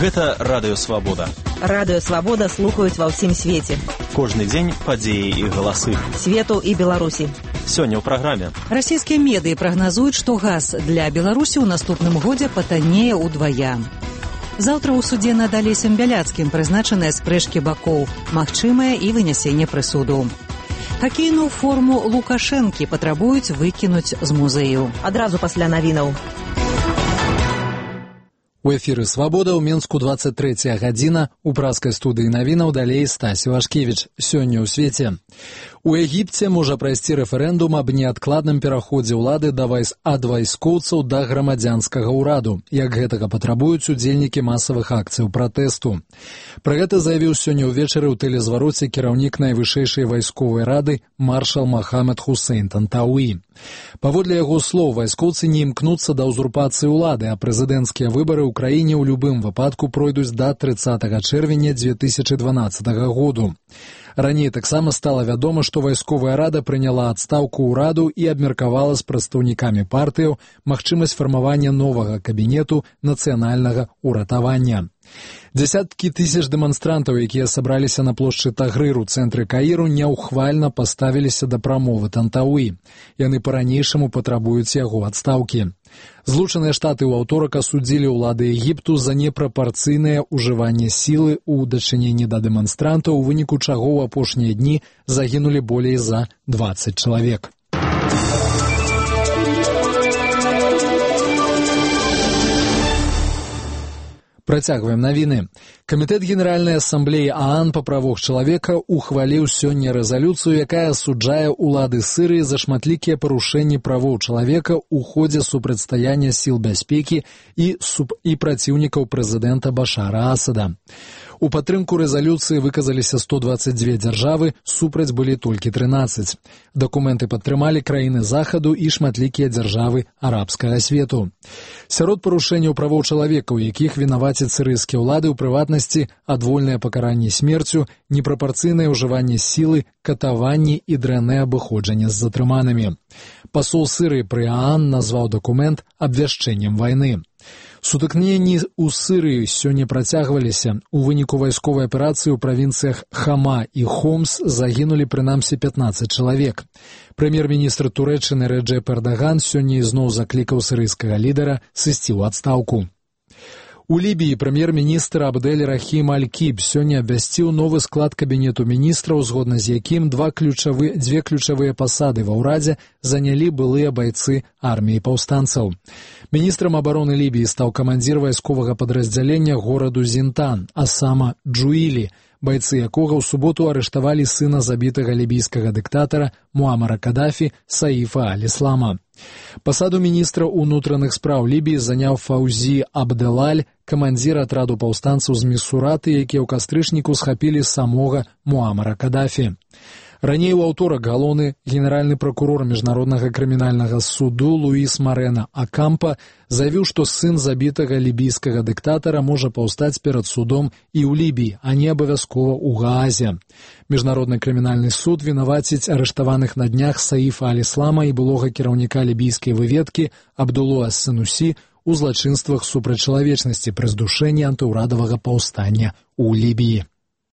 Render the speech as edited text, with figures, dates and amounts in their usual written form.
Гэта Радыё Свабода. Радыё Свабода слухаюць ва ўсім свеце. Кожны дзень падзеі і галасы. Свету і Беларусі. Сёння ў праграме. Расійскія медыі прагназуюць, што газ для Беларусі ў наступным годзе патаннее ўдвая. Заўтра ў судзе над Алесем Бяляцкім прызначаныя спрэчкі бакоў, магчымае і вынясенне прысуду. Хакейную форму Лукашэнкі патрабуюць выкінуць з музею. Адразу пасля навінаў. У эфіры «Свабода» ў Мінску 23 гадзіна. У праскай студыі навінаў далей Стась Вашкевіч. Сёння ў свеце. У Егіпце можа прайсці рэферэндум аб неадкладным пераходзе ўлады ад вайскоўцаў да грамадзянскага ўраду, як гэтага патрабуюць удзельнікі масавых акцыяў пратэсту. Пра гэта заявіў сёння ўвечары ў тэлезвароце кіраўнік найвышэйшай вайсковай рады маршал Махамед Хусейн Тантауі. Паводле яго слоў, вайскоўцы не імкнуцца да ўзурпацыі ўлады, а прэзідэнцкія выбары ў краіне ў любым выпадку пройдуць да 30 чэрвеня 2012 году. Раней таксама стала вядома, што вайсковая рада прыняла адстаўку ўраду і абмеркавала з прадстаўнікамі партыяў магчымасць фармавання новага кабінету нацыянальнага ўратавання. Дзясяткі тысяч дэманстрантаў, якія сабраліся на плошчы Тагрыр у цэнтры Каіру, няўхвальна паставіліся да прамовы Тантауі. Яны па-ранейшаму патрабуюць яго адстаўкі. Злучаныя Штаты ў аўторак асудзілі ўлады Егіпту за непрапарцыйнае ўжыванне сілы ў дачыненні да дэманстрантаў, у выніку чаго ў апошнія дні загінулі болей за 20 чалавек. Працягваем навіны. Камітэт Генеральнай асамблеі ААН па правах чалавека ухваліў сёння рэзалюцыю, якая асуджае ўлады Сірыі за шматлікія парушэнні правоў чалавека ў ходзе супрацьстаяння сіл бяспекі і праціўнікаў прэзідэнта Башара Асада. У падтрымку рэзалюцыі выказаліся 122 дзяржавы, супраць былі толькі 13. Дакументы падтрымалі краіны Захаду і шматлікія дзяржавы арабскага свету. Сярод парушэнняў правоў чалавека, у якіх вінавацяць сірыйскія ўлады, у прыватнасці адвольнае пакаранне смерцю, непрапарцыйнае ўжыванне сілы, катаванні і дрэннае абыходжанне з затрыманымі. Пасол Сірыі пры ААН назваў дакумент абвяшчэннем вайны. Сутыкненні ў Сірыі сёння працягваліся. У выніку вайсковай аперацыі ў правінцыях Хама і Хомс загінулі прынамсі 15 чалавек. Прэм'ер-міністр Турэччыны Рэджэп Эрдаган сёння ізноў заклікаў сірыйскага лідара сысці ў адстаўку. У Лібіі прэм'ер-міністр Абдэль Рахім Аль-Кіб сёння абвясціў новы склад кабінету міністраў, згодна з якім дзве ключавыя пасады ва ўрадзе занялі былыя байцы арміі паўстанцаў. Міністрам абароны Лібіі стаў камандзір вайсковага падраздзялення гораду Зінтан, Асама Джуілі, байцы якога ў суботу арыштавалі сына забітага лібійскага дыктатара Муамара Кадафі Саіфа Аль-Іслама. Пасаду міністра ўнутраных спраў Лібіі заняў Фаўзі Абдэлаль, камандзір атраду паўстанцаў з Місураты, якія ў кастрычніку схапілі самога Муамара Кадафі. Раней у аўторак галоўны генеральны пракурор міжнароднага крымінальнага суду Луіс Марена Акампа заявіў, што сын забітага лібійскага дыктатара можа паўстаць перад судом і ў Лібіі, а не абавязкова ў Гаазе. Міжнародны крымінальны суд вінаваціць арыштаваных на днях Саіфа Аль-Іслама і былога кіраўніка лібійскай выведкі Абдулу Ас-Сенусі у злачынствах супраць чалавечнасці пры здушэнні антыўрадавага паўстання ў Лібіі.